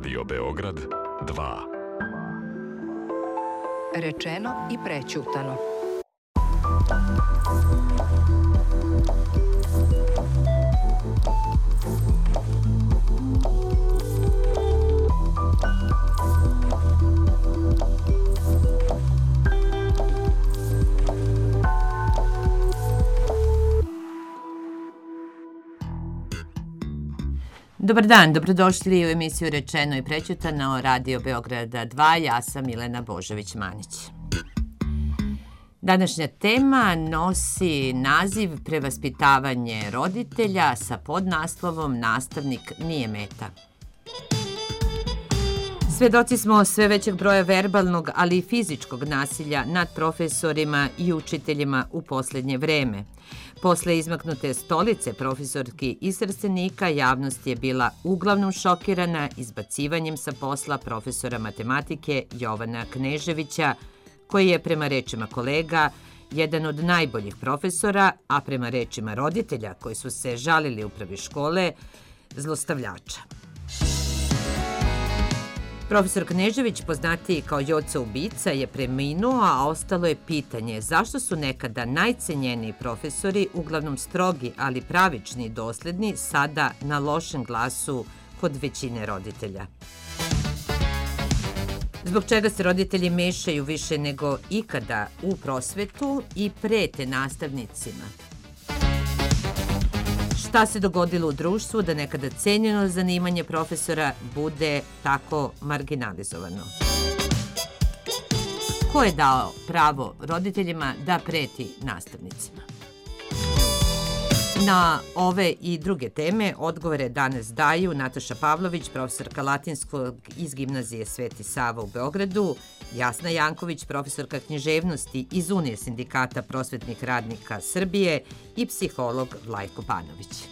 Radio Beograd 2. Rečeno i prećutano. Dobar dan, dobrodošli u emisiju Rečeno i prećutano Radio Beograda 2. Ja sam Milena Božović-Manić. Današnja tema nosi naziv Prevaspitavanje roditelja sa podnaslovom Nastavnik nije meta. Svedoci smo sve većeg broja verbalnog, ali i fizičkog nasilja nad profesorima i učiteljima u posljednje vreme. Posle izmaknute stolice profesorki iz Trstenika, javnost je bila uglavnom šokirana izbacivanjem sa posla profesora matematike Jovana Kneževića, koji je prema rečima kolega jedan od najboljih profesora, a prema rečima roditelja koji su se žalili upravi škole, zlostavljača. Profesor Knežević, poznatiji kao Joca ubica, je preminuo, a ostalo je pitanje zašto su nekada najcenjeniji profesori, uglavnom strogi, ali pravični i dosledni, sada na lošem glasu kod većine roditelja. Zbog čega se roditelji mešaju više nego ikada u prosvetu i prete nastavnicima? Šta se dogodilo u društvu da nekada cenjeno zanimanje profesora bude tako marginalizovano? Ko je dao pravo roditeljima da preti nastavnicima? Na ove i druge teme odgovore danas daju Nataša Pavlović, profesorka latinskog iz Gimnazije Sveti Sava u Beogradu, Jasna Janković, profesorka književnosti iz Unije sindikata prosvetnih radnika Srbije i psiholog Vlajko Panović.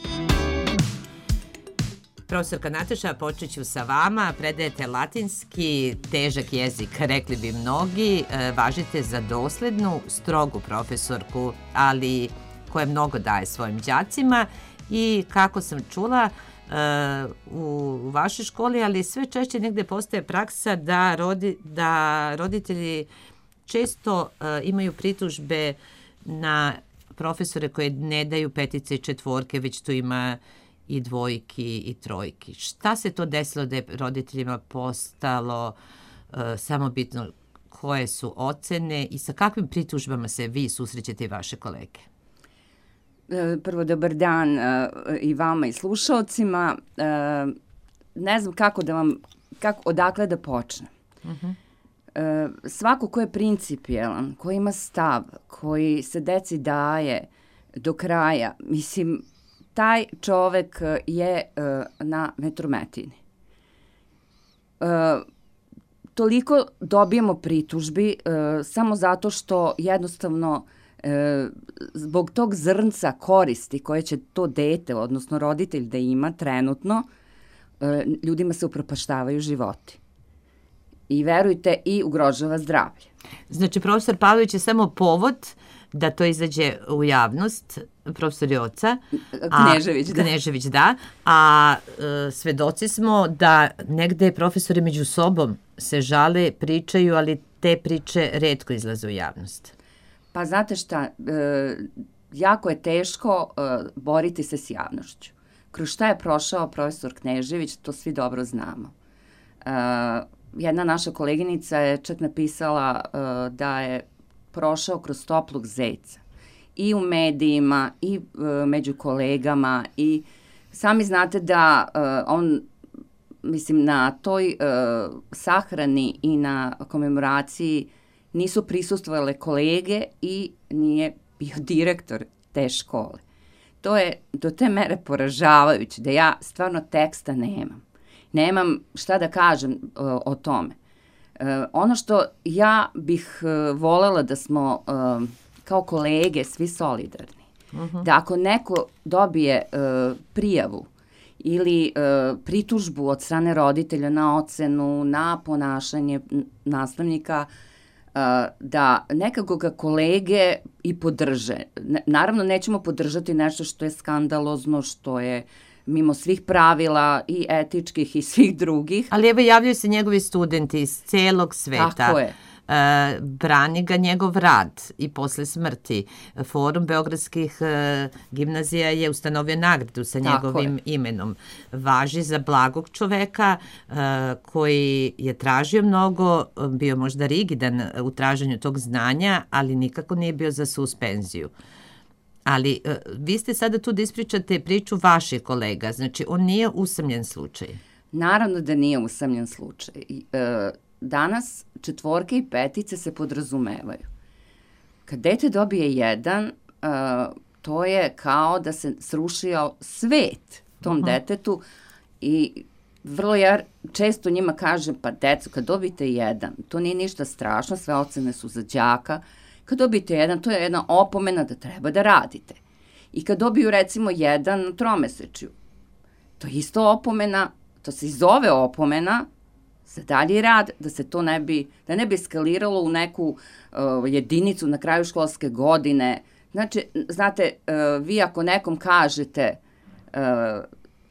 Profesorka Nataša, počet ću sa vama. Predajete latinski, težak jezik, rekli bi mnogi. Važite za doslednu, strogu profesorku, ali koja mnogo daje svojim đacima i kako sam čula u vašoj školi, ali sve češće negde postaje praksa da roditelji često imaju pritužbe na profesore koje ne daju petice i četvorke, već tu ima i dvojki i trojki. Šta se to desilo da je roditeljima postalo samo bitno koje su ocene i sa kakvim pritužbama se vi susrećete i vaše kolege? Prvo, dobar dan i vama i slušalcima. Ne znam odakle da počnem. Svako ko je principijelan, ko ima stav, koji se deci daje do kraja, mislim, taj čovek je na vetrometini. Toliko dobijemo pritužbi samo zato što jednostavno zbog tog zrnca koristi koje će to dete, odnosno roditelj da ima trenutno, ljudima se upropaštavaju životi. I verujte, i ugrožava zdravlje. Znači, profesor Pavlović je samo povod da to izađe u javnost, profesor Joca. Knežević, da. A svedoci smo da negde profesori među sobom se žale, pričaju, ali te priče retko izlaze u javnost. Pa znate šta, jako je teško boriti se s javnošću. Kroz šta je prošao profesor Knežević, to svi dobro znamo. Jedna naša koleginica je čak napisala da je prošao kroz toplog zeca. I u medijima, i među kolegama. I sami znate da on, mislim, na toj sahrani i na komemoraciji nisu prisustvovale kolege i nije bio direktor te škole. To je do te mere poražavajuće da ja stvarno teksta nemam. Nemam šta da kažem o tome. Ono što ja bih volela da smo kao kolege svi solidarni, da ako neko dobije prijavu ili pritužbu od strane roditelja na ocenu, na ponašanje nastavnika, da nekako ga kolege i podrže. Naravno, nećemo podržati nešto što je skandalozno, što je mimo svih pravila i etičkih i svih drugih. Ali evo javljaju se njegovi studenti iz celog sveta. Tako je. Brani ga njegov rad i posle smrti. Forum beogradskih gimnazija je ustanovio nagradu sa njegovim imenom. Važi za blagog čoveka koji je tražio mnogo, bio možda rigidan u traženju tog znanja, ali nikako nije bio za suspenziju. Ali vi ste sada tu da ispričate priču vaših kolega, znači on nije usamljen slučaj. Naravno da nije usamljen slučaj. Danas 4 i 5 se podrazumevaju. Kad dete dobije 1, to je kao da se srušio svet tom detetu i vrlo ja često njima kažem, pa deco, kad dobite 1, to nije ništa strašno, sve ocene su za đaka. Kad dobijete 1, to je jedna opomena da treba da radite. I kad dobiju recimo 1 na 3-mesečju, to je isto opomena, to se i zove opomena za dalji rad, da se to ne bi eskaliralo u neku jedinicu na kraju školske godine. Znači, znate, vi ako nekom kažete,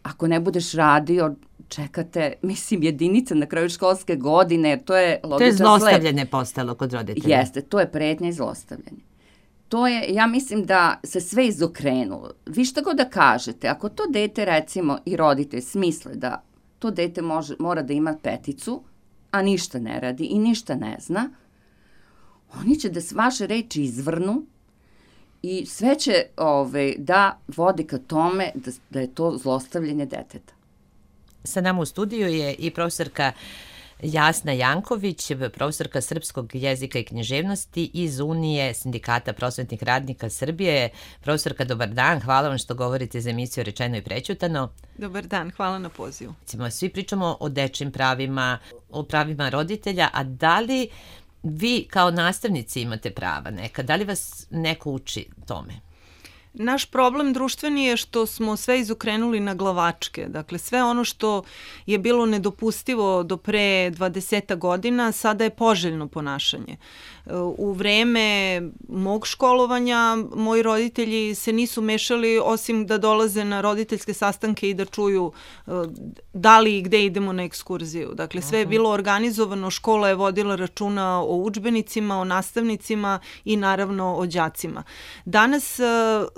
ako ne budeš radio, čekate, mislim, jedinica na kraju školske godine, jer to je logičan sled. To je zlostavljanje postalo kod roditelja. Jeste, to je pretnja i zlostavljanje. To je, ja mislim da se sve izokrenulo. Vi šta god da kažete, ako to dete, recimo, i roditelj smisle da to dete mora da ima 5, a ništa ne radi i ništa ne zna, oni će da vaše reči izvrnu i sve će da vodi ka tome da je to zlostavljanje deteta. Sa nama u studiju je i profesorka Jasna Janković, profesorka srpskog jezika i književnosti iz Unije sindikata prosvetnih radnika Srbije. Profesorka, dobar dan, hvala vam što govorite za emisiju Rečeno i prećutano. Dobar dan, hvala na pozivu. Svi pričamo o dečjim pravima, o pravima roditelja, a da li vi kao nastavnici imate prava neka? Da li vas neko uči tome? Naš problem društveni je što smo sve izokrenuli na glavačke. Dakle, sve ono što je bilo nedopustivo do pre 20 godina, sada je poželjno ponašanje. U vreme mog školovanja moji roditelji se nisu mešali osim da dolaze na roditeljske sastanke i da čuju da li i gde idemo na ekskurziju. Dakle, sve je bilo organizovano, škola je vodila računa o udžbenicima, o nastavnicima i naravno o đacima. Danas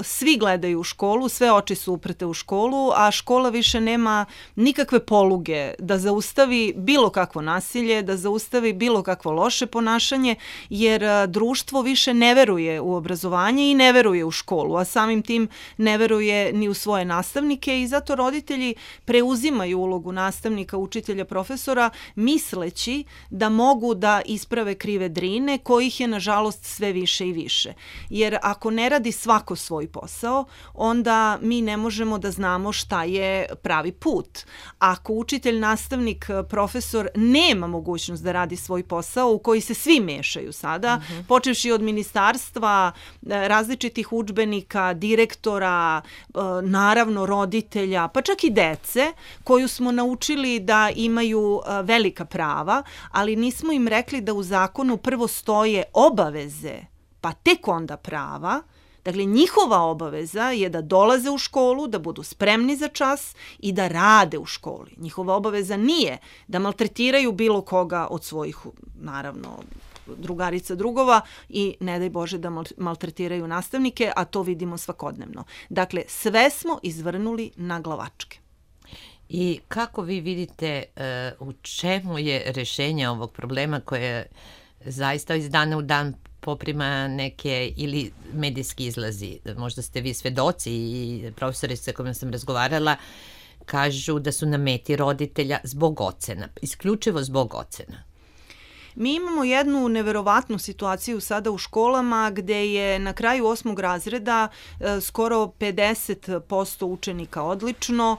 svi gledaju u školu, sve oči su uprte u školu, a škola više nema nikakve poluge da zaustavi bilo kakvo nasilje, da zaustavi bilo kakvo loše ponašanje, jer društvo više ne veruje u obrazovanje i ne veruje u školu, a samim tim ne veruje ni u svoje nastavnike i zato roditelji preuzimaju ulogu nastavnika, učitelja, profesora, misleći da mogu da isprave krive drine, kojih je nažalost sve više i više. Jer ako ne radi svako svoj posao, onda mi ne možemo da znamo šta je pravi put. Ako učitelj, nastavnik, profesor nema mogućnost da radi svoj posao u koji se svi mešaju sada, počevši od ministarstva, različitih udžbenika, direktora, naravno roditelja, pa čak i dece koju smo naučili da imaju velika prava, ali nismo im rekli da u zakonu prvo stoje obaveze, pa tek onda prava. Dakle, njihova obaveza je da dolaze u školu, da budu spremni za čas i da rade u školi. Njihova obaveza nije da maltretiraju bilo koga od svojih, naravno, drugarica, drugova i ne daj Bože da maltretiraju nastavnike, a to vidimo svakodnevno. Dakle, sve smo izvrnuli na glavačke. I kako vi vidite u čemu je rešenje ovog problema koje zaista iz dana u dan poprima neke ili medijski izlazi? Možda ste vi svedoci i profesori sa kojima sam razgovarala kažu da su na meti roditelja zbog ocena, isključivo zbog ocena. Mi imamo jednu neverovatnu situaciju sada u školama gde je na kraju 8. razreda skoro 50% učenika odlično,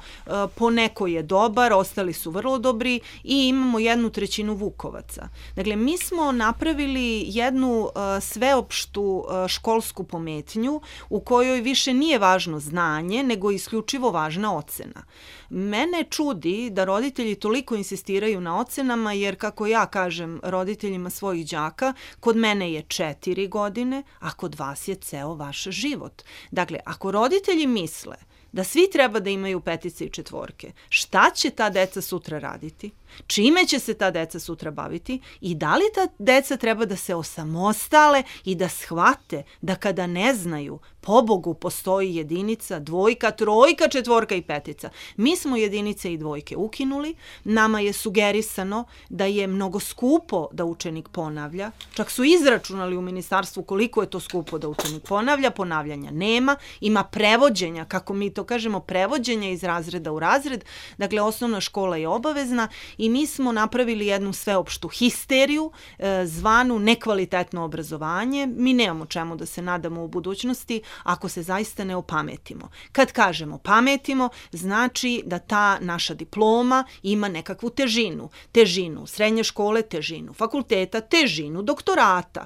po neko je dobar, ostali su vrlo dobri i imamo 1/3 vukovaca. Dakle, mi smo napravili jednu sveopštu školsku pometnju u kojoj više nije važno znanje, nego isključivo važna ocena. Mene čudi da roditelji toliko insistiraju na ocenama, jer kako ja kažem roditeljima svojih đaka, kod mene je 4 godine, a kod vas je ceo vaš život. Dakle, ako roditelji misle da svi treba da imaju 5 i 4. Šta će ta deca sutra raditi? Čime će se ta deca sutra baviti i da li ta deca treba da se osamostale i da shvate da kada ne znaju, pobogu postoji jedinica, 2, 3, 4 i 5. Mi smo jedinice i 2 ukinuli, nama je sugerisano da je mnogo skupo da učenik ponavlja, čak su izračunali u ministarstvu koliko je to skupo da učenik ponavlja, ponavljanja nema, ima prevođenja, kako mi to kažemo, prevođenja iz razreda u razred, dakle osnovna škola je obavezna i mi smo napravili jednu sveopštu histeriju, zvanu nekvalitetno obrazovanje. Mi nemamo čemu da se nadamo u budućnosti ako se zaista ne opametimo. Kad kažemo pametimo, znači da ta naša diploma ima nekakvu težinu. Težinu srednje škole, težinu fakulteta, težinu doktorata.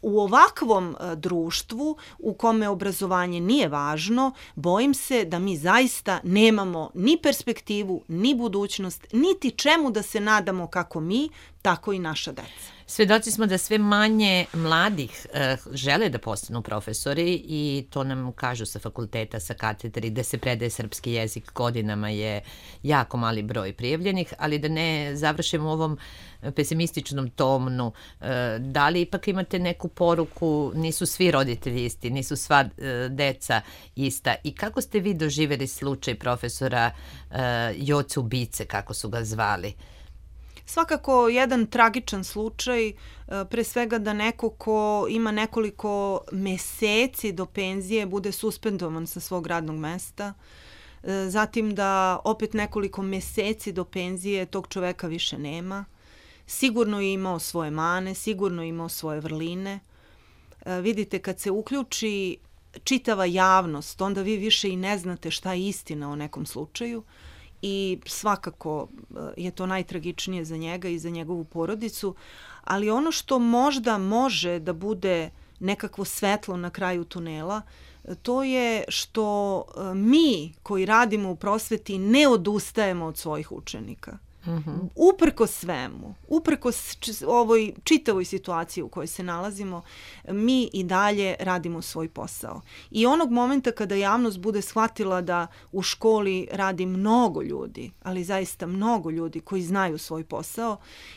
U ovakvom društvu u kome obrazovanje nije važno, bojim se da mi zaista nemamo ni perspektivu, ni budućnost, niti čemu da se nadamo kako mi, tako i naša deca. Svedoci smo da sve manje mladih žele da postanu profesori i to nam kažu sa fakulteta, sa katedri, da se predaje srpski jezik godinama je jako mali broj prijavljenih, ali da ne završimo u ovom pesimističnom tonu. Da li ipak imate neku poruku, nisu svi roditelji isti, nisu sva deca ista i kako ste vi doživjeli slučaj profesora Joce Ubice, kako su ga zvali? Svakako jedan tragičan slučaj, pre svega da neko ko ima nekoliko meseci do penzije bude suspendovan sa svog radnog mesta, zatim da opet nekoliko meseci do penzije tog čoveka više nema. Sigurno je imao svoje mane, sigurno je imao svoje vrline. Vidite, kad se uključi čitava javnost, onda vi više i ne znate šta je istina o nekom slučaju. I svakako je to najtragičnije za njega i za njegovu porodicu, ali ono što možda može da bude nekakvo svetlo na kraju tunela, to je što mi koji radimo u prosveti ne odustajemo od svojih učenika. Uprkos svemu, uprkos ovoj čitavoj situaciji u kojoj se nalazimo, mi i dalje radimo svoj posao. I onog momenta kada javnost bude shvatila da u školi radi mnogo ljudi, ali zaista mnogo ljudi koji znaju svoj posao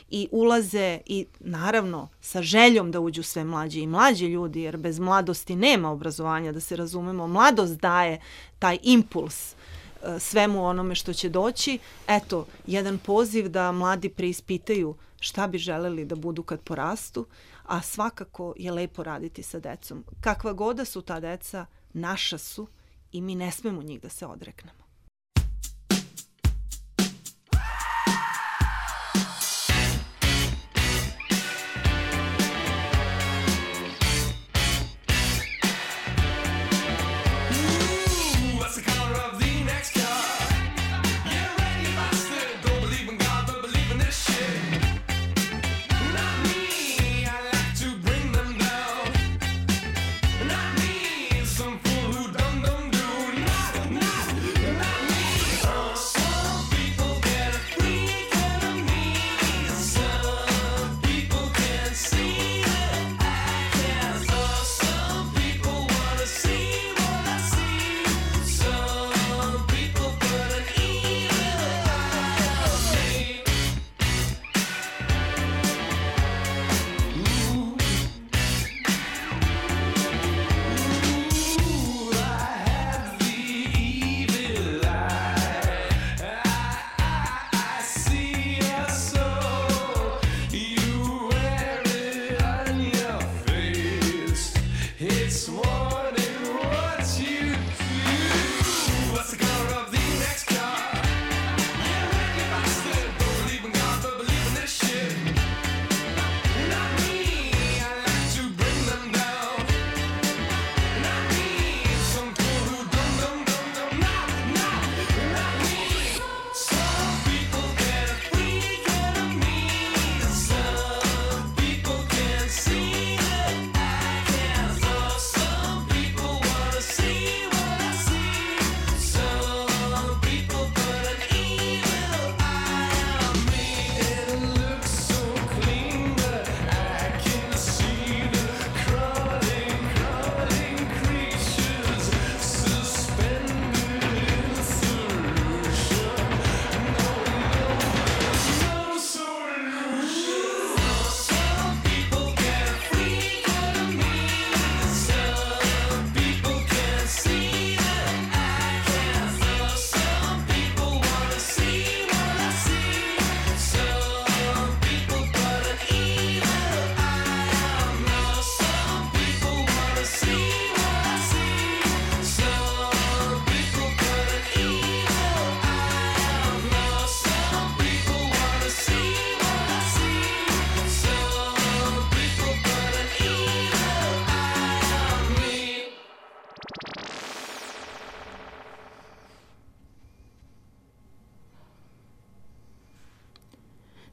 i ulaze i naravno sa željom da uđu sve mlađi i mlađi ljudi, jer bez mladosti nema obrazovanja, da se razumemo. Mladost daje taj impuls svemu onome što će doći. Eto, jedan poziv da mladi preispitaju šta bi želeli da budu kad porastu, a svakako je lepo raditi sa decom. Kakva god da su ta deca, naša su i mi ne smemo njih da se odreknemo.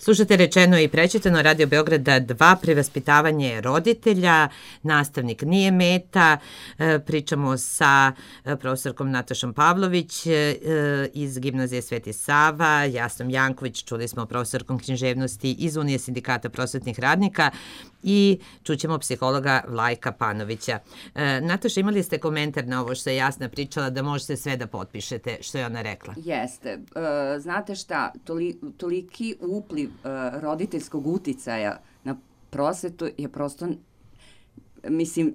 Slušate Rečeno i prečitano, Radio Beograda 2, prevaspitavanje roditelja, nastavnik nije meta. Pričamo sa profesorkom Natašom Pavlović iz Gimnazije Sveti Sava, Jasnom Janković, čuli smo profesorkom književnosti iz Unije sindikata prosvetnih radnika i čućemo psihologa Vlajka Panovića. Nataša, imali ste komentar na ovo što je Jasna pričala, da možete sve da potpišete što je ona rekla? Jeste. Znate šta, toliki upliv roditeljskog uticaja na prosvetu je prosto, mislim,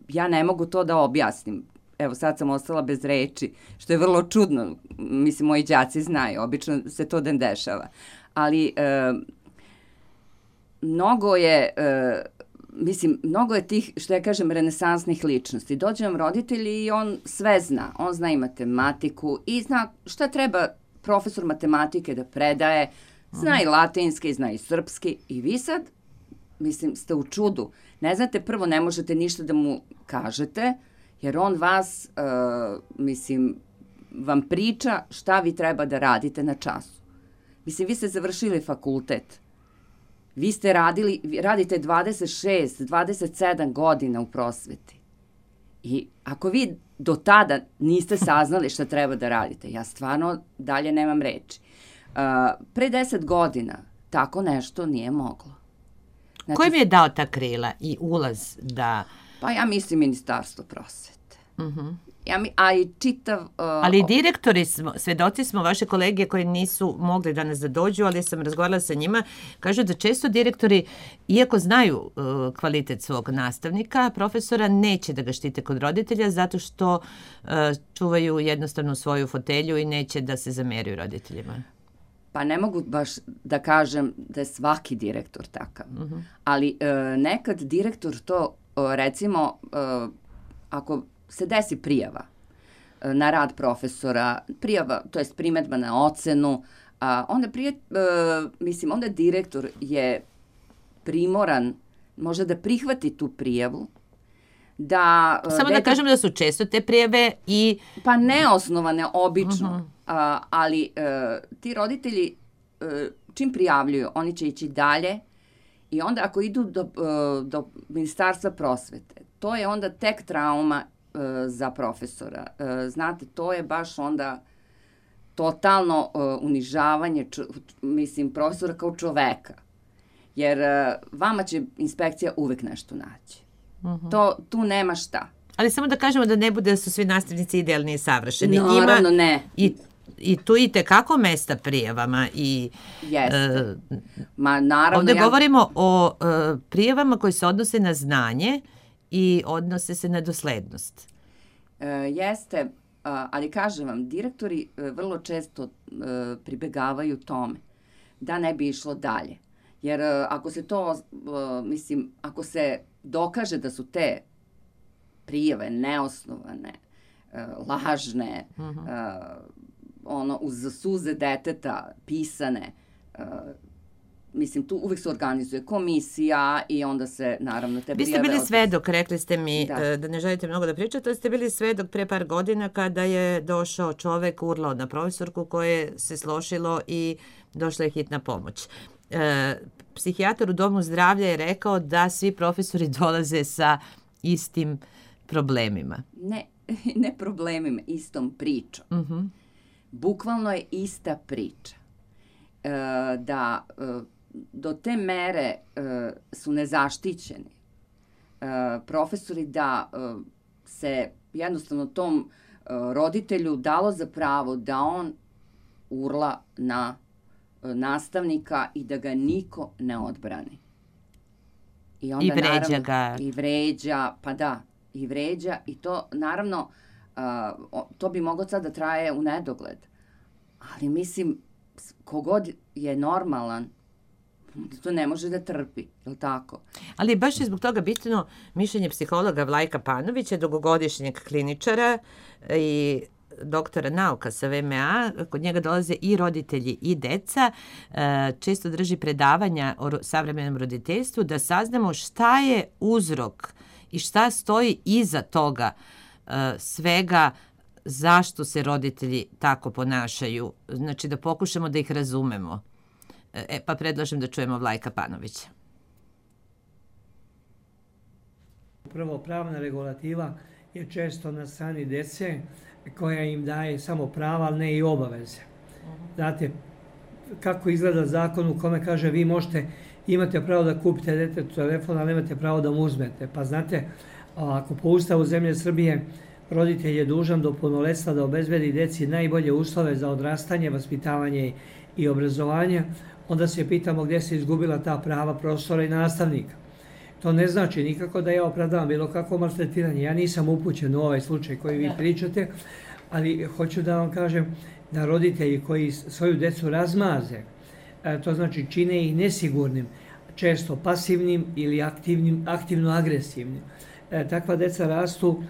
ja ne mogu to da objasnim. Evo, sad sam ostala bez reči, što je vrlo čudno. Mislim, moji đaci znaju, obično se to ne dešava. Ali mnogo je tih, što ja kažem, renesansnih ličnosti. Dođe vam roditelj i on sve zna. On zna i matematiku i zna šta treba profesor matematike da predaje, zna i latinski, zna i srpski i vi sad, mislim, ste u čudu. Ne znate, prvo ne možete ništa da mu kažete, jer on vas, vam priča šta vi treba da radite na času. Mislim, vi ste završili fakultet. Vi ste radite 26, 27 godina u prosveti. I ako vi do tada niste saznali šta treba da radite, ja stvarno dalje nemam reči. Pre 10 godina tako nešto nije moglo. Znači, ko im je dao ta krila i ulaz da... Pa ja mislim Ministarstvo prosvete. A i čitav... Ali direktori smo, svedoci smo, vaše kolege koji nisu mogli danas da dođu, ali sam razgovarala sa njima, kažu da često direktori, iako znaju kvalitet svog nastavnika, profesora, neće da ga štite kod roditelja zato što čuvaju jednostavno svoju fotelju i neće da se zameraju roditeljima. Pa ne mogu baš da kažem da je svaki direktor takav. Ali nekad direktor to, recimo, ako se desi prijava na rad profesora, prijava, to jest primetba na ocenu, onda direktor je primoran možda da prihvati tu prijavu, da... Samo da kažem da su često te prijave i... Pa neosnovane, obično, ali ti roditelji čim prijavljuju, oni će ići dalje i onda ako idu do Ministarstva prosvete, to je onda tek trauma za profesora. Znate, to je baš onda totalno unižavanje, profesora kao čoveka. Jer vama će inspekcija uvek nešto naći. Tu nema šta. Ali samo da kažemo da ne bude da su svi nastavnici idealni i savršeni. Naravno, ne. I tu i tekako mesta prijavama. Jeste. Naravno, ovdje govorimo o prijavama koje se odnose na znanje i odnose se na doslednost. Jeste, ali kažem vam, direktori vrlo često pribegavaju tome da ne bi išlo dalje. Jer ako se to, ako se dokaže da su te prijave neosnovane, lažne, uz suze deteta pisane, tu uvek se organizuje komisija i onda se, naravno, te prijave... Vi ste bili svedok, rekli ste mi da ne želite mnogo da pričate, ali ste bili svedok pre par godina kada je došao čovek, urlao na profesorku koje se slošilo i došla je hitna pomoć. Psihijatar u Domu zdravlja je rekao da svi profesori dolaze sa istim problemima. Ne problemima, istom pričom. Bukvalno je ista priča. Da do te mere su nezaštićeni profesori, da se jednostavno tom roditelju dalo za pravo da on urla na nastavnika i da ga niko ne odbrani. I vređa ga. I vređa, pa da, i vređa. I to, naravno, to bi moglo sad da traje u nedogled. Ali kogod je normalan, to ne može da trpi, je li tako? Ali baš je zbog toga bitno mišljenje psihologa Vlajka Panovića, dugogodišnjeg kliničara i doktora nauka sa VMA. Kod njega dolaze i roditelji i deca. Često drži predavanja o savremenom roditeljstvu da saznamo šta je uzrok i šta stoji iza toga svega, zašto se roditelji tako ponašaju. Znači da pokušamo da ih razumemo. Pa predlažem da čujemo Vlajka Panovića. Prvo, pravna regulativa je često na strani dece koja im daje samo prava, ali ne i obaveze. Znate, kako izgleda zakon u kome kaže vi imate pravo da kupite detetu telefon, ali nemate pravo da mu uzmete. Pa znate, ako po Ustavu zemlje Srbije roditelj je dužan do punoletstva da obezbedi deci najbolje uslove za odrastanje, vaspitavanje i obrazovanje, onda se pitamo gdje se izgubila ta prava profesora i nastavnika. To ne znači nikako da ja opravdavam bilo kakvo maltretiranje. Ja nisam upućen u ovaj slučaj koji vi pričate, ali hoću da vam kažem da roditelji koji svoju decu razmaze, to znači čine ih nesigurnim, često pasivnim ili aktivno agresivnim. Takva deca rastu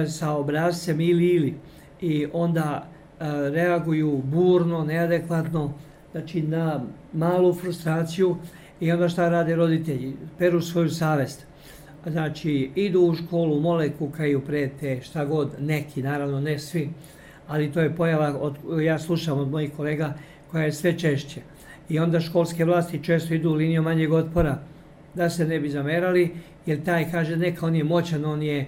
sa obrazcem ili i onda reaguju burno, neadekvatno, znači na malu frustraciju i onda šta rade roditelji? Peru svoju savest. Znači idu u školu, mole, kukaju, prete, šta god, neki, naravno ne svi, ali to je pojava, ja slušam od mojih kolega koja je sve češće. I onda školske vlasti često idu u liniju manjeg otpora da se ne bi zamerali, jer taj kaže neka on je moćan, on je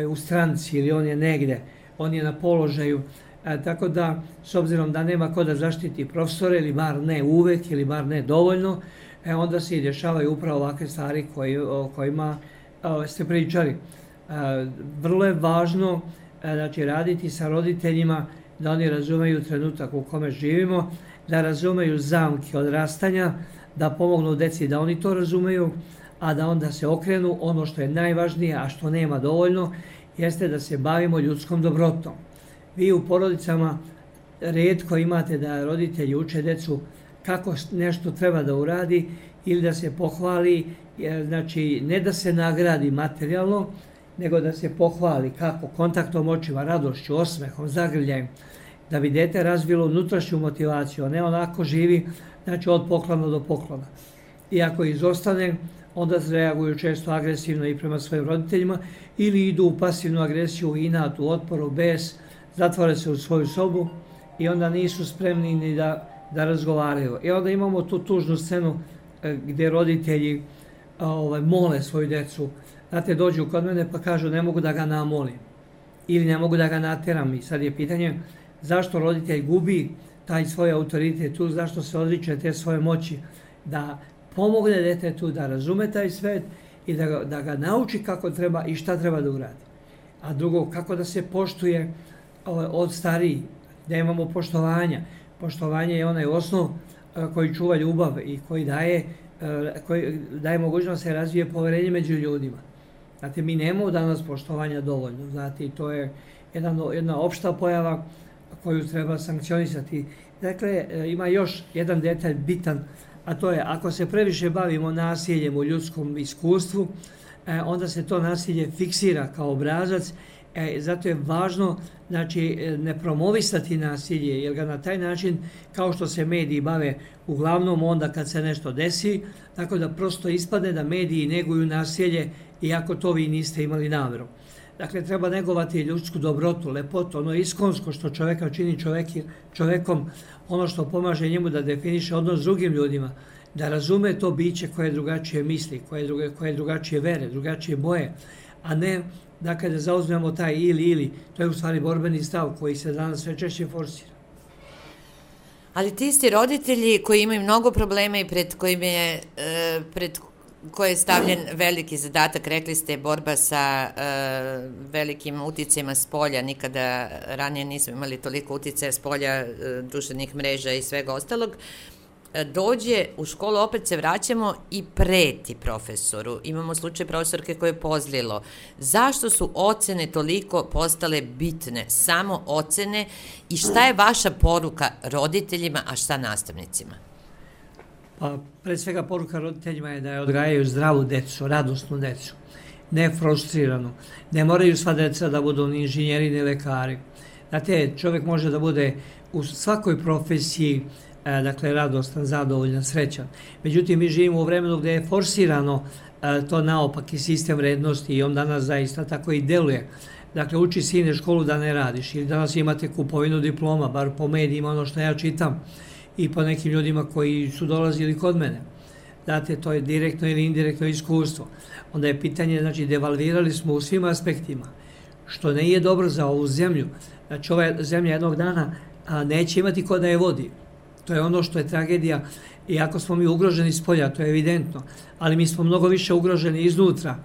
u stranci ili on je negde, on je na položaju. Tako da, s obzirom da nema ko da zaštiti profesore, ili bar ne uvek, ili bar ne dovoljno, onda se i dešavaju upravo ovakve stvari o kojima ste pričali. Vrlo je važno znači, raditi sa roditeljima da oni razumeju trenutak u kome živimo, da razumeju zamke odrastanja, da pomognu deci da oni to razumeju, a da onda se okrenu. Ono što je najvažnije, a što nema dovoljno, jeste da se bavimo ljudskom dobrotom. Vi u porodicama rijetko imate da roditelji uče decu kako nešto treba da uradi ili da se pohvali, znači ne da se nagradi materijalno, nego da se pohvali kako kontaktom očima, radošću, osmehom, zagrljajem, da bi dete razvilo unutrašnju motivaciju, a ne onako živi, znači od poklona do poklona. I ako izostane, onda reaguju često agresivno i prema svojim roditeljima ili idu u pasivnu agresiju, inat, u otporu, bes, zatvore se u svoju sobu i onda nisu spremni ni da razgovaraju. I onda imamo tu tužnu scenu gdje roditelji mole svoju decu. Znate, dođu kod mene pa kažu ne mogu da ga namolim ili ne mogu da ga nateram. I sad je pitanje zašto roditelj gubi taj svoj autoritet tu, zašto se odriče te svoje moći da pomogne detetu da razume taj svet i da ga nauči kako treba i šta treba da uradi. A drugo, kako da se poštuje od starijih, da imamo poštovanja. Poštovanje je onaj osnov koji čuva ljubav i koji daje mogućnost da se razvije poverenje među ljudima. Znate, mi nemamo danas poštovanja dovoljno, znate, i to je jedna opšta pojava koju treba sankcionisati. Dakle, ima još jedan detalj bitan, a to je ako se previše bavimo nasiljem u ljudskom iskustvu, onda se to nasilje fiksira kao obrazac. Zato je važno, znači, ne promovisati nasilje, jer ga na taj način, kao što se mediji bave uglavnom onda kad se nešto desi, tako da prosto ispadne da mediji neguju nasilje, iako to vi niste imali namjeru. Dakle, treba negovati ljudsku dobrotu, lepotu, ono iskonsko što čoveka čini čovekom, ono što pomaže njemu da definiše odnos s drugim ljudima, da razume to biće koje drugačije misli, koje drugačije vere, drugačije boje, a ne dakle da zauzmemo taj ili, to je u stvari borbeni stav koji se danas sve češće forsira. Ali ti isti roditelji koji imaju mnogo problema i pred koje je stavljen veliki zadatak, rekli ste, borba sa velikim uticajima s polja, nikada ranije nismo imali toliko uticaja s polja, društvenih mreža i svega ostalog, dođe u školu, opet se vraćamo i preti profesoru. Imamo slučaj profesorke koje je pozlilo. Zašto su ocene toliko postale bitne? Samo ocene i šta je vaša poruka roditeljima, a šta nastavnicima? Pa, pred svega poruka roditeljima je da je odgajaju zdravu decu, radosnu decu, ne frustriranu. Ne moraju sva deca da budu ni inženjeri, ni lekari. Znate, čovjek može da bude u svakoj profesiji, dakle, radostan, zadovoljan, srećan. Međutim, mi živimo u vremenu gdje je forsirano to naopaki sistem vrednosti i on danas zaista tako i deluje. Dakle, uči sine školu da ne radiš ili danas imate kupovinu diploma, bar po medijima ono što ja čitam. i po nekim ljudima koji su dolazili kod mene. Znate, to je direktno ili indirektno iskustvo. Onda je pitanje, znači, devalvirali smo u svim aspektima, što ne je dobro za ovu zemlju. Znači, ova zemlja jednog dana neće imati ko da je vodi. To je ono što je tragedija. Iako smo mi ugroženi s polja, to je evidentno, ali mi smo mnogo više ugroženi iznutra.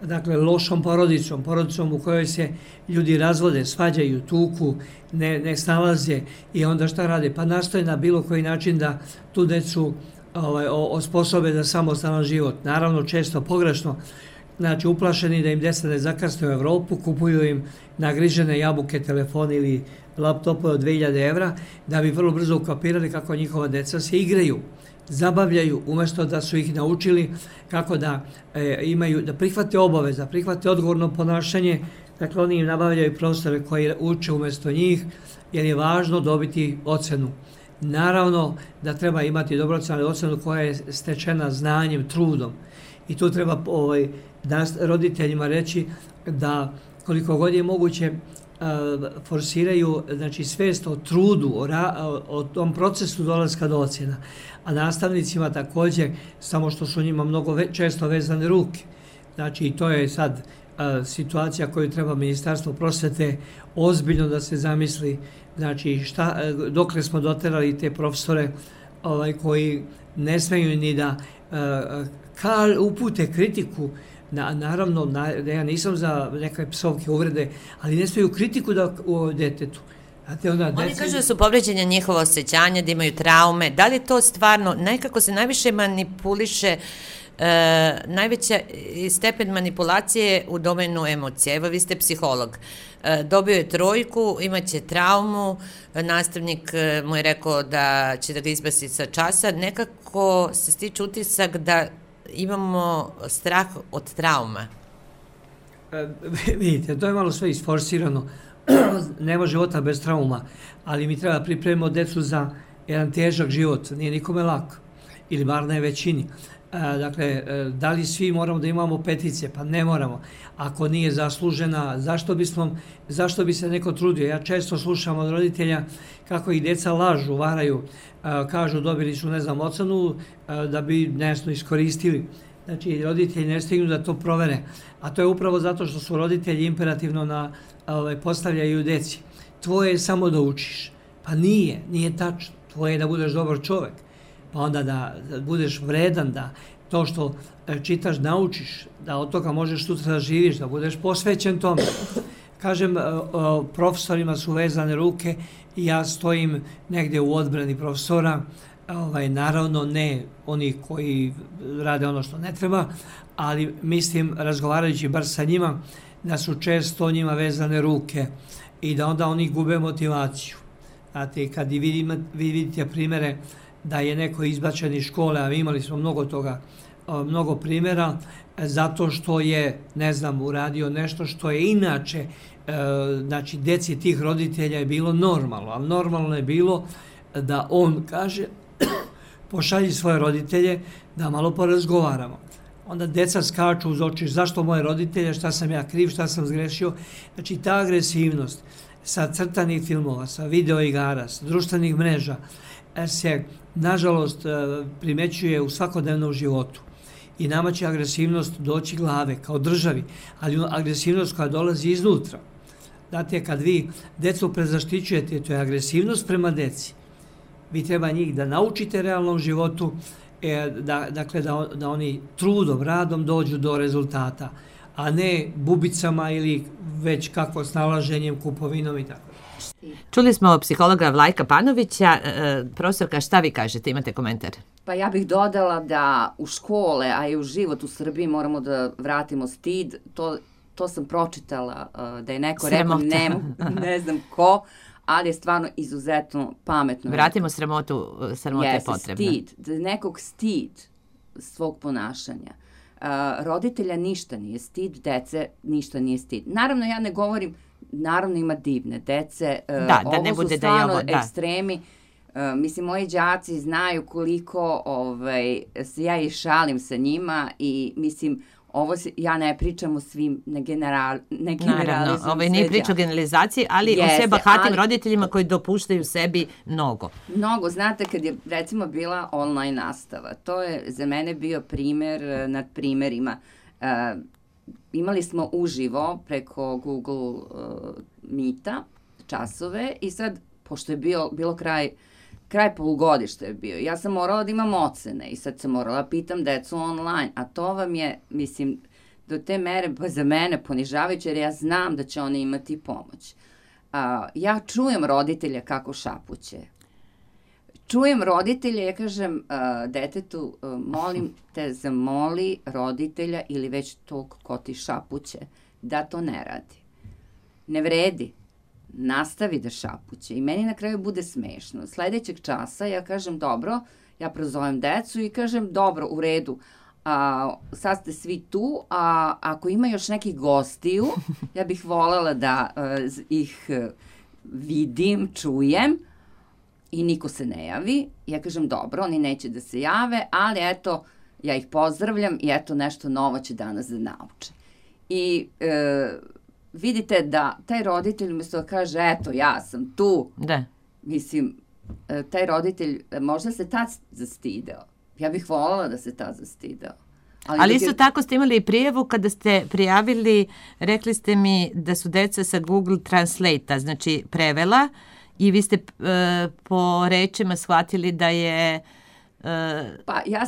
Dakle, lošom porodicom u kojoj se ljudi razvode, svađaju, tuku, ne snalaze i onda šta rade? Pa nastoje na bilo koji način da tu decu osposobe za samostalan život. Naravno, često pogrešno, znači uplašeni da im deca ne zakasne u Evropu, kupuju im nagrižene jabuke, telefone ili laptope od 2000 evra, da bi vrlo brzo ukapirali kako njihova deca se igraju, zabavljaju, umjesto da su ih naučili kako da imaju, da prihvate obaveze, da prihvate odgovorno ponašanje. Dakle, oni im nabavljaju profesore koji uče umjesto njih, jer je važno dobiti ocenu. Naravno da treba imati dobrocenu ocenu koja je stečena znanjem, trudom. I tu treba roditeljima reći da koliko god je moguće forsiraju, znači, svest o trudu, o tom procesu dolaska do ocjena. A nastavnicima također, samo što su njima mnogo često vezane ruke. Znači, i to je sad situacija koju treba Ministarstvo prosvete ozbiljno da se zamisli, znači, dokle smo doterali te profesore koji ne smeju ni da upute kritiku. Naravno, ja nisam za neke psovke, uvrede, ali ne smeju kritiku u detetu. Oni kažu da su povređenja njihova osjećanja, da imaju traume. Da li je to stvarno, nekako se najviše manipuliše, najveća stepen manipulacije u domenu emocije? Evo, vi ste psiholog. Dobio je 3, imaće traumu, nastavnik mu je rekao da će da ga izbaci sa časa. Nekako se stiče utisak da imamo strah od trauma. Vidite, to je malo sve isforsirano. Nema života bez trauma, ali mi treba pripremiti decu za jedan težak život. Nije nikome lak, ili bar ne većini. Dakle, da li svi moramo da imamo petice? Pa ne moramo. Ako nije zaslužena, zašto bi se neko trudio? Ja često slušam od roditelja kako ih deca lažu, varaju, kažu dobili su, ne znam, ocenu da bi nešto iskoristili. Znači, roditelji ne stignu da to provere. A to je upravo zato što su roditelji imperativno postavljaju deci. Tvoje je samo da učiš. Pa nije tačno. Tvoje je da budeš dobar čovek. Pa onda da budeš vredan, da to što čitaš naučiš, da od toga možeš sutra da živiš, da budeš posvećen tome. Kažem, profesorima su vezane ruke i ja stojim negdje u odbrani profesora, naravno ne oni koji rade ono što ne treba, ali mislim, razgovarajući bar sa njima, da su često njima vezane ruke i da onda oni gube motivaciju. Znate, kad vi vidite primere da je neko izbačen iz škole, a imali smo mnogo primjera, zato što je, ne znam, uradio nešto što je inače, znači, deci tih roditelja je bilo normalno, ali normalno je bilo da on kaže, pošalji svoje roditelje da malo porazgovaramo. Onda deca skaču uz oči, zašto moje roditelje, šta sam ja kriv, šta sam zgrešio. Znači, ta agresivnost sa crtanih filmova, sa videoigara, sa društvenih mreža, se, nažalost, primećuje u svakodnevnom životu. I nama će agresivnost doći glave, kao državi, ali agresivnost koja dolazi iznutra. Znate, kad vi decu prezaštićujete, to je agresivnost prema deci. Vi treba njih da naučite realnom životu, dakle, da oni trudom, radom dođu do rezultata, a ne bubicama ili već kako snalaženjem, kupovinom i tako. Čuli smo psihologa Vlajka Panovića. Profesorka, šta vi kažete? Imate komentar? Pa ja bih dodala da u škole, a i u život u Srbiji moramo da vratimo stid. To sam pročitala da je neko rekao, ne znam ko, ali je stvarno izuzetno pametno. Vratimo sramotu, sramota je potrebna. Stid, da nekog stid svog ponašanja. Roditelja ništa nije stid, dece ništa nije stid. Naravno, ja ne govorim, naravno ima divne dece, ovo su stvarno ekstremi. Mislim, moji đaci znaju koliko ja i šalim sa njima i mislim, ja ne pričam o svim, ne generalizujem. Naravno, nije priča o generalizaciji, ali o sve bahatim roditeljima koji dopuštaju sebi mnogo. Mnogo, znate, kad je recimo bila online nastava, to je za mene bio primer nad primerima. Imali smo uživo preko Google Meeta časove i sad, pošto je bilo kraj polugodišta je bio, ja sam morala da imam ocene i sad sam morala pitam decu online, a to vam je, mislim, do te mere za mene ponižavajuće, jer ja znam da će oni imati pomoć. Ja čujem roditelja kako šapuće. Čujem roditelja, ja kažem detetu, molim te, zamoli roditelja ili već tog ko ti šapuće, da to ne radi. Ne vredi. Nastavi da šapuće i meni na kraju bude smešno. Sledećeg časa ja kažem dobro, ja prozovem decu i kažem dobro, u redu, sad ste svi tu, a ako ima još nekih gostiju, ja bih voljela da ih vidim, čujem i niko se ne javi. Ja kažem dobro, oni neće da se jave, ali eto, ja ih pozdravljam i eto nešto novo će danas da nauče. I vidite da taj roditelj umjesto da kaže, eto, ja sam tu, mislim, taj roditelj možda se tad zastideo. Ja bih voljela da se tad zastideo. Ali isto tako ste imali i prijavu kada ste prijavili, rekli ste mi da su deca sa Google Translate-a, znači prevela, i vi ste po rečima shvatili da je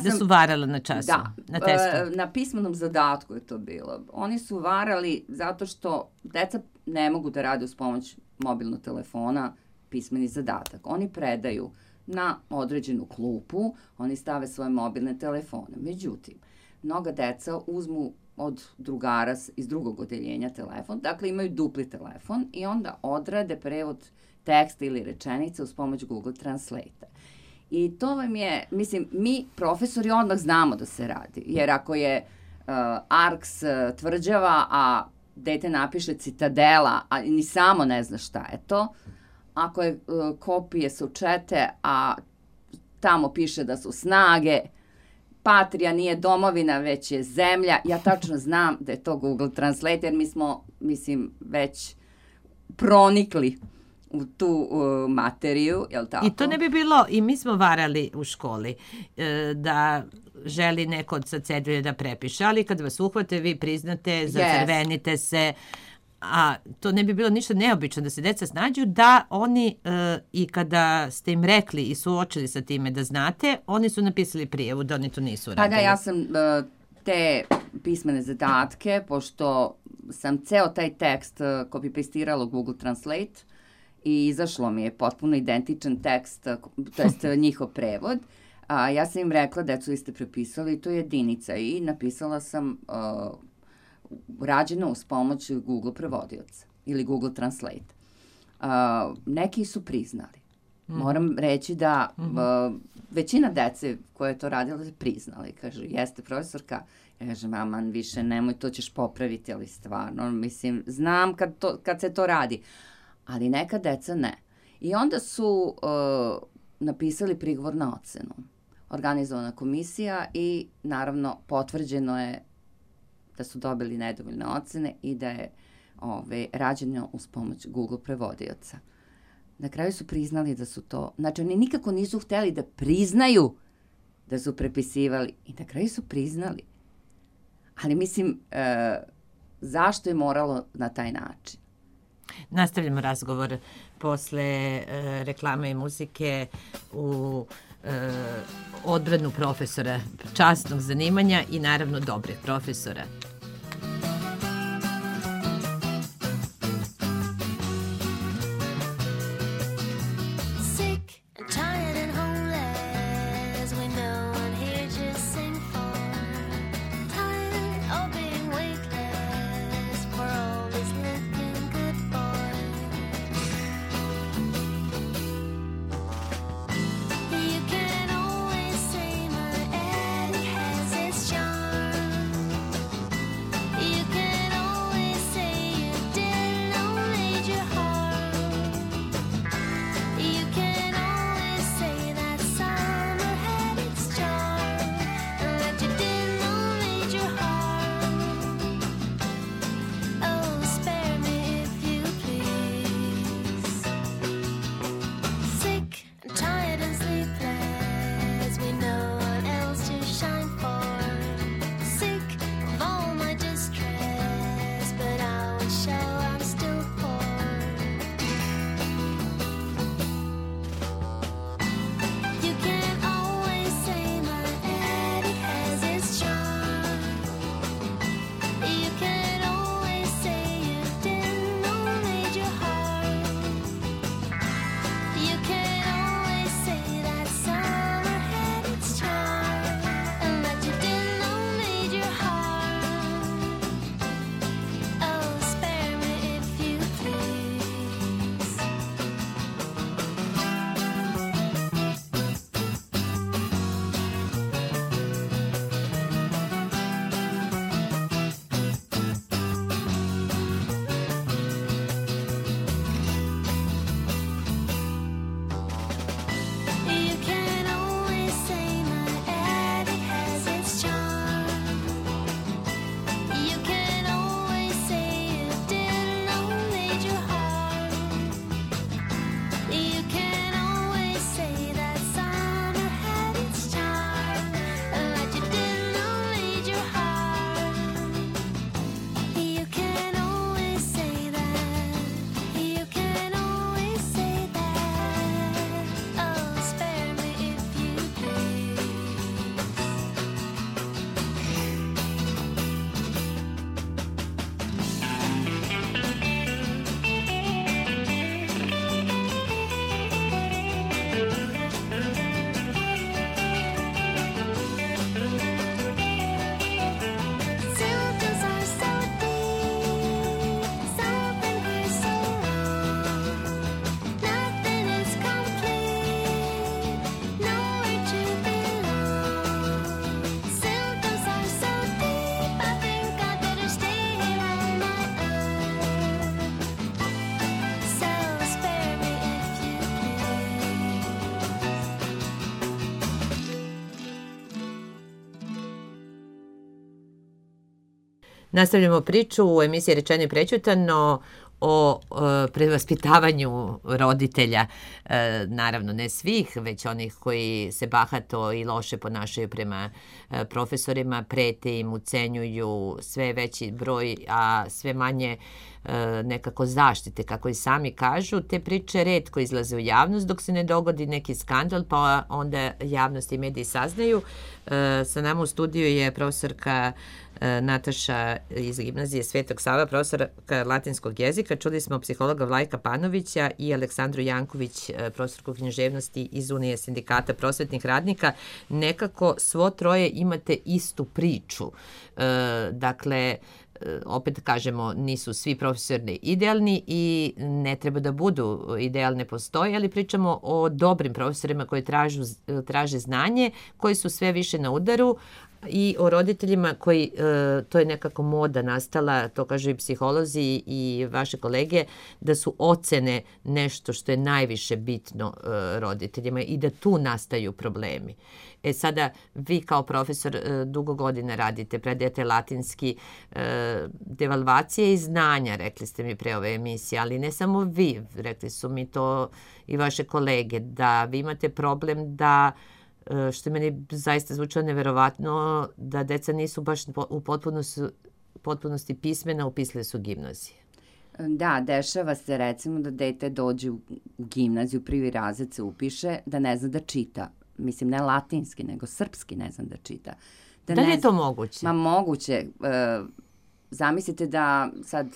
da su varala na času, na testu. Na pismenom zadatku je to bilo. Oni su varali zato što deca ne mogu da rade uz pomoć mobilnog telefona pismeni zadatak. Oni predaju na određenu klupu, oni stave svoje mobilne telefone. Međutim, mnoga deca uzmu od drugara iz drugog odeljenja telefon, dakle imaju dupli telefon i onda odrade prevod teksta ili rečenice uz pomoć Google Translate-a. I to vam je, mislim, mi profesori odmah znamo da se radi, jer ako je Arks tvrđava, a dete napiše Citadela, a ni samo ne zna šta je to, ako je kopije su čete, a tamo piše da su snage, Patria nije domovina, već je zemlja, ja tačno znam da je to Google Translate, jer mi smo, mislim, već pronikli u tu materiju, jel tako? I to ne bi bilo, i mi smo varali u školi, da želi neko sa cedulje da prepiše, ali kad vas uhvate, vi priznate, zacrvenite se, a to ne bi bilo ništa neobično da se deca snađu, da oni i kada ste im rekli i suočili sa time da znate, oni su napisali prijavu da oni to nisu radili. Pa da, ja sam te pismene zadatke, pošto sam ceo taj tekst copy-pastirala u Google Translate i izašlo mi je potpuno identičan tekst, to jest njihov prevod, ja sam im rekla, decu, vi ste prepisali, to je jedinica i napisala sam rađeno uz pomoć Google prevodioca ili Google Translate. Neki su priznali. Moram reći da većina dece koje je to radila je priznali. Kaže, jeste profesorka? Ja kažem, aman, više nemoj, to ćeš popraviti, ali stvarno, mislim, znam kad se to radi. Ali neka deca ne. I onda su napisali prigovor na ocenu. Organizovana komisija i naravno potvrđeno je da su dobili nedovoljne ocene i da je rađeno uz pomoć Google prevodioca. Na kraju su priznali da su to, znači oni nikako nisu hteli da priznaju da su prepisivali i na kraju su priznali. Ali mislim, zašto je moralo na taj način? Nastavljamo razgovor posle reklame i muzike u odbranu profesora časnog zanimanja i naravno dobrih profesora. Nastavljamo priču u emisiji Rečeno i prećutano o prevaspitavanju roditelja, naravno ne svih, već onih koji se bahato i loše ponašaju prema profesorima, prete im, ucenjuju, sve veći broj, a sve manje nekako zaštite, kako i sami kažu. Te priče retko izlaze u javnost dok se ne dogodi neki skandal, pa onda javnost i mediji saznaju. Sa nama u studiju je profesorka Nataša iz gimnazije Svetog Sava, profesorka latinskog jezika. Čuli smo psihologa Vlajka Panovića i Aleksandru Janković, profesorku književnosti iz Unije sindikata prosvetnih radnika. Nekako svo troje imate istu priču. Dakle, opet kažemo, nisu svi profesori idealni i ne treba da budu idealne, postoje, ali pričamo o dobrim profesorima koji traže znanje, koji su sve više na udaru, i o roditeljima koji, to je nekako moda nastala, to kažu i psiholozi i vaše kolege, da su ocene nešto što je najviše bitno roditeljima i da tu nastaju problemi. Sada, vi kao profesor dugo godina radite, predajete latinski, devalvacije i znanja, rekli ste mi pre ove emisije, ali ne samo vi, rekli su mi to i vaše kolege, da vi imate problem da, što je meni zaista zvučalo neverovatno, da deca nisu baš u potpunosti pismena, upisali su gimnazije. Da, dešava se recimo da dete dođe u gimnaziju, prvi razred se upiše, da ne zna da čita. Mislim, ne latinski, nego srpski ne znam da čita. Da li je to moguće? Ma moguće. Zamislite da sad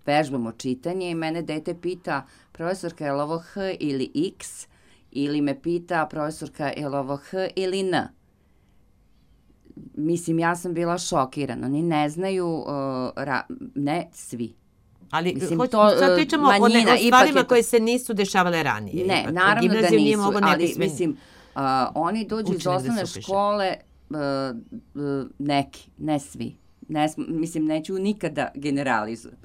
vežbamo čitanje i mene dete pita, profesorka, je li ovo H ili X? Ili me pita, profesorka, je li ovo H ili N? Mislim, ja sam bila šokirana. Oni ne znaju, ne svi. Ali sad pričamo o stvarima koje se nisu dešavale ranije. Ne, naravno da nisu, ali mislim, oni dođu iz osnovne škole, neki, ne svi. Mislim, neću nikada generalizujem.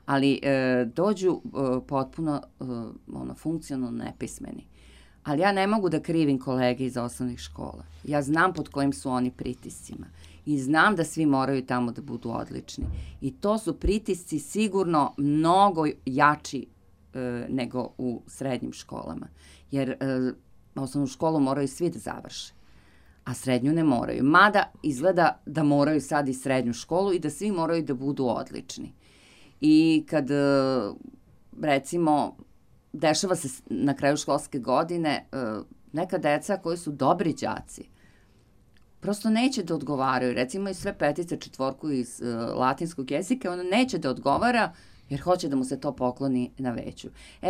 Ali dođu potpuno funkcionalno nepismeni. Ali ja ne mogu da krivim kolege iz osnovnih škola. Ja znam pod kojim su oni pritiscima. I znam da svi moraju tamo da budu odlični. I to su pritisci sigurno mnogo jači nego u srednjim školama. Jer osnovnu školu moraju svi da završe. A srednju ne moraju. Mada izgleda da moraju sad i srednju školu i da svi moraju da budu odlični. I kad, recimo, dešava se na kraju školske godine, neka deca koji su dobri đaci prosto neće da odgovaraju. Recimo i sve petice, četvorku iz latinskog jezika, ona neće da odgovara jer hoće da mu se to pokloni na veću.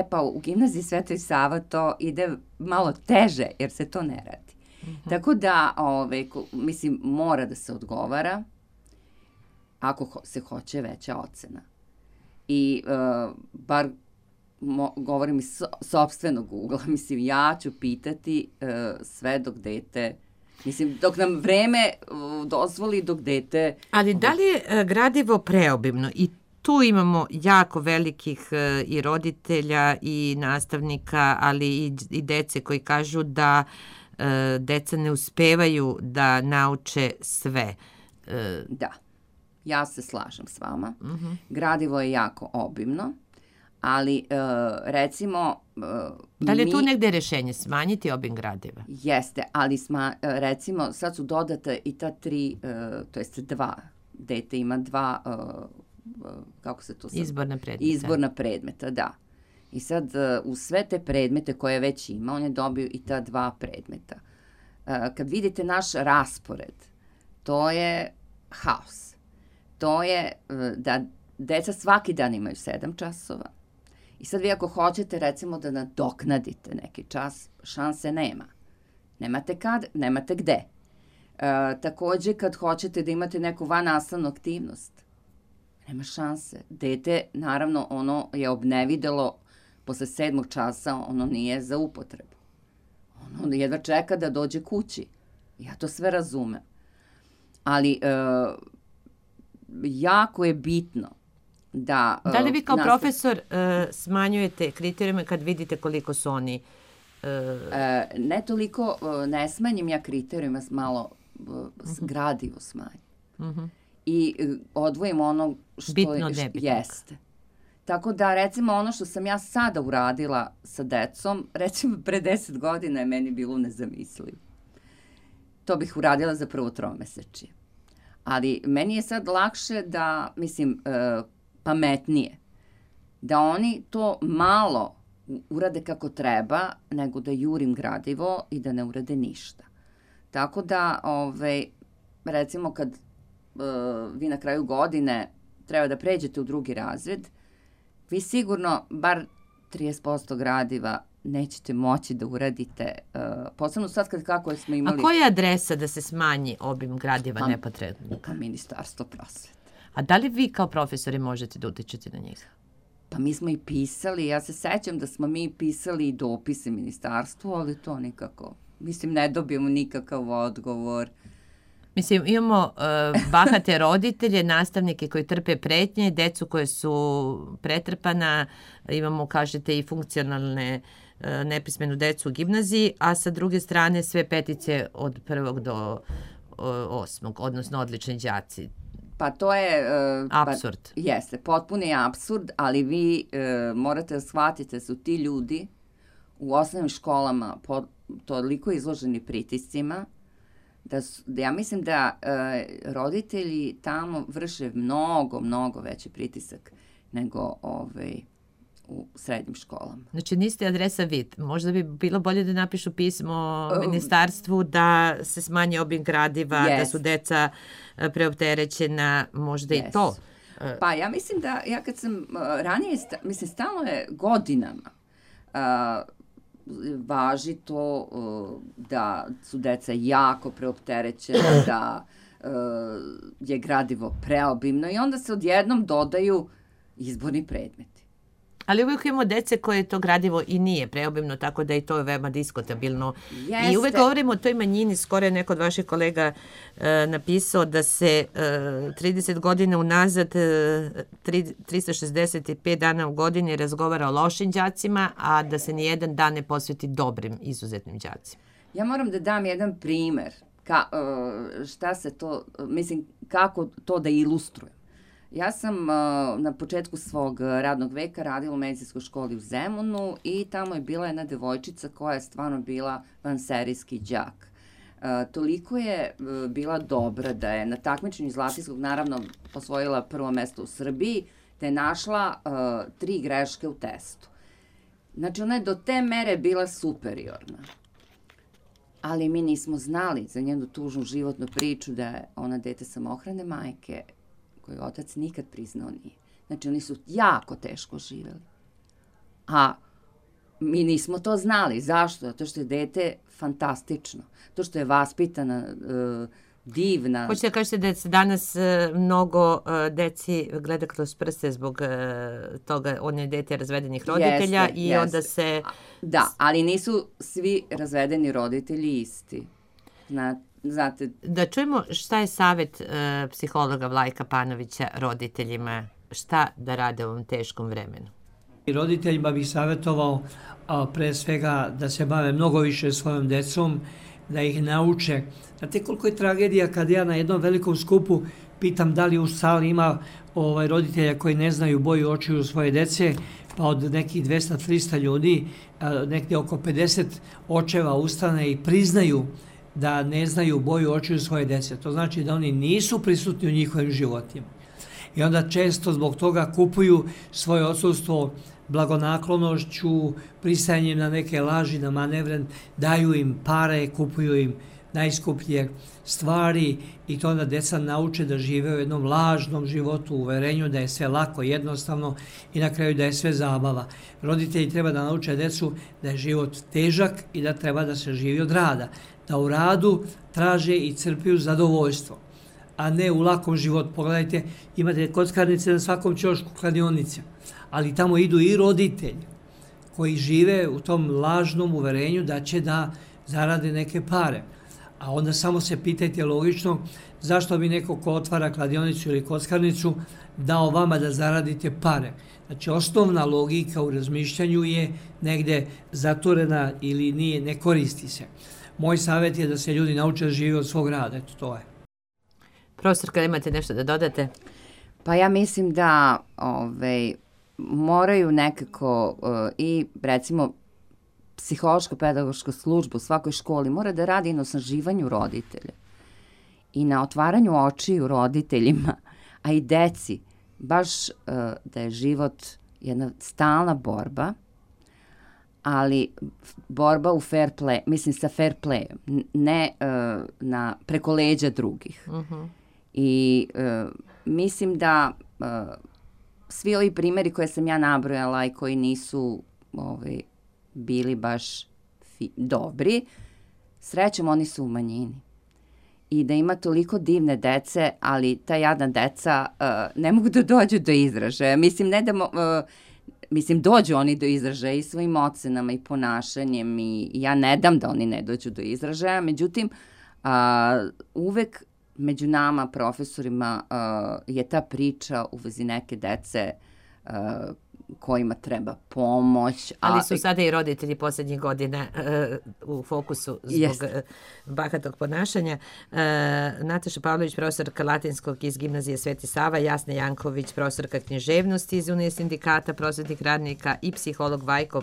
Pa u gimnaziji Svetoj Sava to ide malo teže jer se to ne radi. Tako da, mislim, mora da se odgovara ako se hoće veća ocena. I bar govorim iz sopstvenog ugla, mislim, ja ću pitati sve dok dete, mislim, dok nam vreme dozvoli, dok dete... Ali da li je gradivo preobimno? I tu imamo jako velikih i roditelja i nastavnika, ali i dece koji kažu da deca ne uspevaju da nauče sve. Da, ja se slažem s vama. Gradivo je jako obimno. Ali, recimo... Da li je tu negde rešenje, smanjiti obim gradiva? Jeste, ali recimo, sad su dodata i ta 3, to jest 2, dete ima 2, kako se to sad... Izborna predmeta. Izborna predmeta, da. I sad, u sve te predmete koje već ima, on je dobio i ta 2 predmeta. Kad vidite naš raspored, to je haos. To je da deca svaki dan imaju 7 časova. I sad vi ako hoćete, recimo, da nadoknadite neki čas, šanse nema. Nemate kad, nemate gde. Takođe, kad hoćete da imate neku vannastavnu aktivnost, nema šanse. Dete, naravno, ono je obnevidelo posle 7. časa, ono nije za upotrebu. Ono jedva čeka da dođe kući. Ja to sve razumem. Ali jako je bitno da... Da li vi kao profesor smanjujete kriterijume kad vidite koliko su oni... Ne toliko, ne smanjim ja kriterijume, malo gradivo smanjim. i odvojimo ono što bitno nebitno. Jeste. Tako da, recimo, ono što sam ja sada uradila sa decom, recimo, pre 10 godina je meni bilo nezamislivo. To bih uradila za prvo tromesečje. Ali meni je sad lakše da, mislim, pametnije, da oni to malo urade kako treba, nego da jurim gradivo i da ne urade ništa. Tako da, recimo, kad vi na kraju godine treba da pređete u drugi razred, vi sigurno bar 30% gradiva nećete moći da uradite, posebno sad kako smo imali... A koja je adresa da se smanji obim gradiva nepotrebno? Pa Ministarstvo prosvete. A da li vi kao profesori možete da utičete na njih? Pa mi smo i pisali, ja se sećam da smo mi pisali i dopise ministarstvu, ali to nikako, mislim, ne dobijemo nikakav odgovor. Mislim, imamo bahate roditelje, nastavnike koji trpe pretnje, decu koje su pretrpana, imamo, kažete, i funkcionalne nepismenu decu u gimnaziji, a sa druge strane sve petice od 1. do 8. odnosno odlični đaci. Pa to je... apsurd. Jeste, potpuni apsurd, ali vi morate da shvatite da su ti ljudi u osnovnim školama toliko izloženi pritiscima, da ja mislim da roditelji tamo vrše mnogo veći pritisak nego u srednjim školama. Znači niste adresa vid. Možda bi bilo bolje da napišu pismo ministarstvu da se smanji obim gradiva, da su deca preopterećena, možda i to. Pa ja mislim da, ja kad sam ranije, mislim, stalno je godinama važi to da su deca jako preopterećena, da je gradivo preobimno i onda se odjednom dodaju izborni predmeti. Ali uvijek imamo dece koje to gradivo i nije preobimno, tako da i to je veoma diskutabilno. Jeste. I uvijek govorimo o toj manjini, skoro je neko od vaših kolega napisao da se 30 godina unazad 365 dana u godini razgovara o lošim đacima, a da se nijedan dan ne posveti dobrim, izuzetnim đacima. Ja moram da dam jedan primer, šta se to, mislim, kako to da ilustrujem. Ja sam na početku svog radnog veka radila u medicinskoj školi u Zemunu i tamo je bila jedna devojčica koja je stvarno bila vanserijski đak. Toliko je bila dobra da je na takmičenju Zlatinskog naravno osvojila prvo mesto u Srbiji, da je našla 3 greške u testu. Znači ona je do te mere bila superiorna. Ali mi nismo znali za njenu tužnu životnu priču da je ona dete samohrane majke, koju otac nikad priznao nije. Znači, oni su jako teško živeli. A mi nismo to znali. Zašto? Zato što je dete fantastično. To što je vaspitana, divna. Hoćete da kažete da se danas mnogo deci gleda kroz prste zbog toga, on je dete razvedenih roditelja i onda se... Da, ali nisu svi razvedeni roditelji isti. Znate... Da čujemo šta je savjet psihologa Vlajka Panovića roditeljima, šta da rade u ovom teškom vremenu. Roditeljima bih savjetovao pre svega da se bave mnogo više svojom decom, da ih nauče. Znate koliko je tragedija kad ja na jednom velikom skupu pitam da li u sali ima roditelja koji ne znaju boju očiju svoje dece, pa od nekih 200-300 ljudi, nekde oko 50 očeva ustane i priznaju da ne znaju boju očiju svoje dece. To znači da oni nisu prisutni u njihovim životima. I onda često zbog toga kupuju svoje odsustvo blagonaklonošću, pristajanjem na neke laži, na manevre, daju im pare, kupuju im najskuplje stvari i to onda deca nauče da žive u jednom lažnom životu, u uverenju da je sve lako, jednostavno i na kraju da je sve zabava. Roditelji treba da nauče decu da je život težak i da treba da se živi od rada, da u radu traže i crpiju zadovoljstvo, a ne u lakom životu. Pogledajte, imate kockarnice na svakom ćošku, kladionice, ali tamo idu i roditelji koji žive u tom lažnom uverenju da će da zarade neke pare. A onda samo se pitajte logično zašto bi neko ko otvara kladionicu ili kockarnicu dao vama da zaradite pare. Znači, osnovna logika u razmišljanju je negde zatvorena ili nije, ne koristi se. Moj savjet je da se ljudi nauče da žive od svog rada, eto to je. Profesorka, imate nešto da dodate? Pa ja mislim da moraju nekako i recimo psihološko-pedagoška služba u svakoj školi mora da radi na osnaživanju roditelja i na otvaranju očiju roditeljima, a i deci, baš da je život jedna stalna borba, ali borba u fair play, mislim sa fair playem, ne preko leđa drugih. I mislim da svi ovi primjeri koje sam ja nabrojala i koji nisu bili baš dobri, srećom oni su u manjini. I da ima toliko divne dece, ali ta jadna deca ne mogu da dođu do izražaja. Mislim, dođu oni do izražaja i svojim ocenama i ponašanjem i ja ne dam da oni ne dođu do izražaja. Međutim, uvek među nama, profesorima, je ta priča u vezi neke dece kojima treba pomoć. Ali su sada i roditelji posljednjih godina u fokusu zbog bahatog ponašanja. Nataša Pavlović, profesorka latinskog iz gimnazije Sveti Sava, Jasna Janković, profesorka književnosti iz Unije sindikata prosvetnih radnika i psiholog Vajko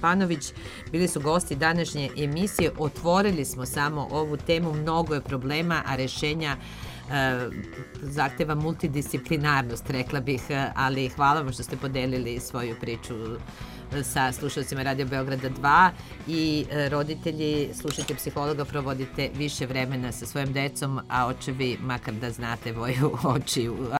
Panović bili su gosti današnje emisije. Otvorili smo samo ovu temu, mnogo je problema, a rešenja zahteva multidisciplinarnost, rekla bih, ali hvala vam što ste podelili svoju priču sa slušalcima Radio Beograda 2 i roditelji, slušajte psihologa, provodite više vremena sa svojim decom, a očevi, makar da znate, boju očiju.